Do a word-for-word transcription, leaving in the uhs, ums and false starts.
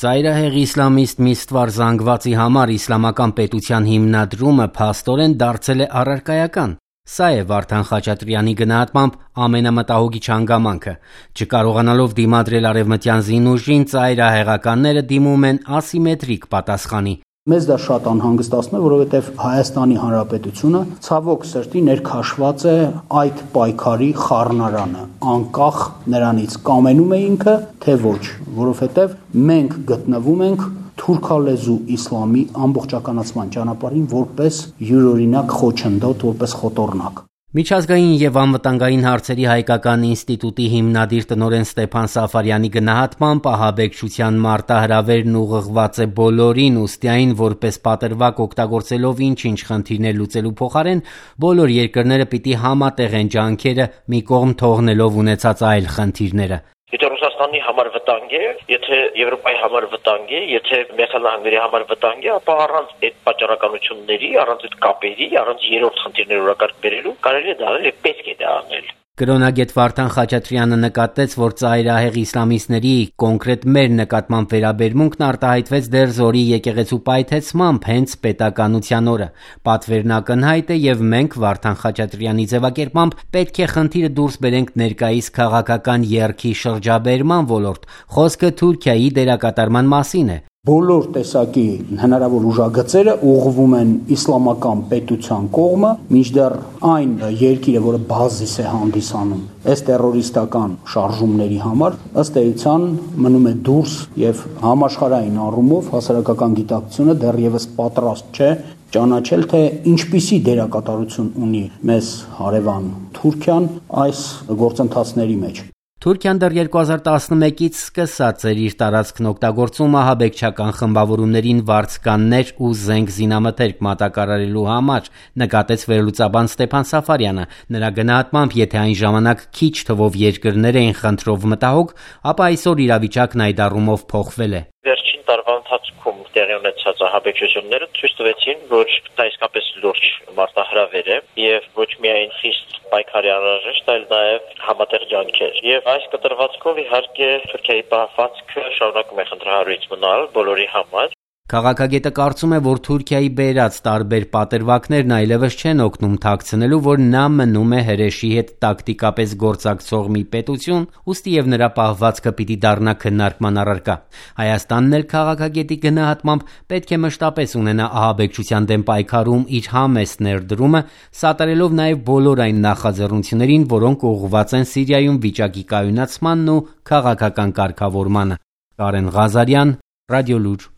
Ծայրահեղ իսլամիստ Միստվար զանգվածի համար իսլամական պետության հիմնադրումը փաստորեն դարձել է առարկայական։ Սա է Վարդան Խաչատրյանի գնահատմամբ ամենամտահոգիչ հանգամանքը։ Չկարողանալով դիմադրել արևմտյան զինուժին, ծայրահեղականները դիմում են ասիմետրիկ պատասխանի։ Մեզ դա շատ անհանգստացնում է, որովհետև Հայաստանի Հանրապետությունը ցավոք սրտի ներքաշված է այդ պայքարի խառնարանը, անկախ նրանից կամենում է ինքը, թե ոչ, որովհետև մենք գտնվում ենք թուրքալեզու իսլամի ամբողջականացման ճանապարհին որպես յուրօրինակ խոչընդոտ, որպես խոտորնակ։ Միջազգային եւ անվտանգային հարցերի հայկական ինստիտուտի հիմնադիր տնօրեն Ստեփան Սաֆարյանի գնահատմամբ ահաբեկչության մարտահրավերն ուղղված է բոլորին, ուստի այն որպես պատրվակ օգտագործելով ինչ-ինչ խնդիրներ լուծելու փոխարեն բոլոր երկրները պիտի համատեղեն ջանքերը, մի կողմ թողնելով ունեցած այլ խնդիրները։ Եթե Ռուսաստանի համար վտանգ է, եթե Եվրոպայի համար վտանգ է, եթե Միացյալ Նահանգների համար վտանգ է, ապա առանց այդ պատճառականությունների, առանց այդ կապերի, առանց երրորդ խնդիրների օրակարգ բերելու կարելի է դա անել եւ պետք է դա անել։ Կրոնագետ Վարդան Խաչատրյանը նկատեց, որ ծայրահեղ իսլամիստների կոնկրետ մեր նկատմամբ վերաբերմունքն արտահայտվեց դեռ Զորի եկեղեցու պայթեցմամբ հենց պետականության օրը։ Պատվերն ակնհայտ է եւ մենք Վարդան Խաչատրյանի ձևակերպմամբ պետք է խնդիրը դուրս բերենք ներկայիս քաղաքական եռքի շրջաբերման ոլորտ։ Խոսքը Թուրքիայի դերակատարման մասին է։ Բոլոր տեսակի հնարավոր ուժագծերը ուղղվում են իսլամական պետության կողմը, մինչդեռ այն երկիրը, որը բազիս է հանդիսանում այս տերորիստական շարժումների համար, ըստ էության մնում է դուրս եւ համաշխարհային առումով հասարակական գիտակցությունը դեռևս պատրաստ չէ ճանաչել, թե ինչպիսի դերակատարություն ունի մեզ հարևան Թուրքիան այս գործընթացների մեջ։ Թուրքիան դեռ երկու հազար տասնմեկից սկսած էր իր տարածքն օգտագործում ահաբեկչական խմբավորումներին վարձկաններ ու զենք զինամթերք մատակարարելու համար, նկատեց վերլուծաբան Ստեփան Սաֆարյանը։ Նրա գնահատմամբ, եթե այն ժամանակ քիչ թվով երկրներ էին խնդրով մտահոգ, ապա այսօր իրավիճակն այդ առումով փոխվել է։ Վերջին տարվա ընթացքում տեղի ունեցած ահաբեկչությունները ցույց տվեցին, որ դա իսկապես լուրջ մարտահրավեր է եւ ոչ միայն խիստ պայքարի անհրաժեշտ, այլ նաեւ համատեղ ջանքեր։ Եվ այս կտրվածքով իհարկե Թուրքիայի պահվածքը շարունակում է խնդրահարույց մնալ բոլորի համար։ Քաղաքագետը կարծում է, որ Թուրքիայի բերած տարբեր պատրվակներն այլևս չեն օգնում թաքցնելու, որ նա մնում է հրեշի հետ տակտիկապես գործակցող մի պետություն, ուստի եւ նրա պահվածքը պիտի դառնա քննարկման առարկա։ Հայաստանն էլ քաղաքագետի գնահատմամբ պետք է մշտապես ունենա ահաբեկչության դեմ պայքարում իր համեստ ներդրումը, սատարելով նաեւ բոլոր այն նախաձեռնություններին, որոնք ուղղված են Սիրիայում վիճակի կայունացմանն ու քաղաքական կարգավորմանը։ Կարեն Ղազարյան, Ռադիոլուր։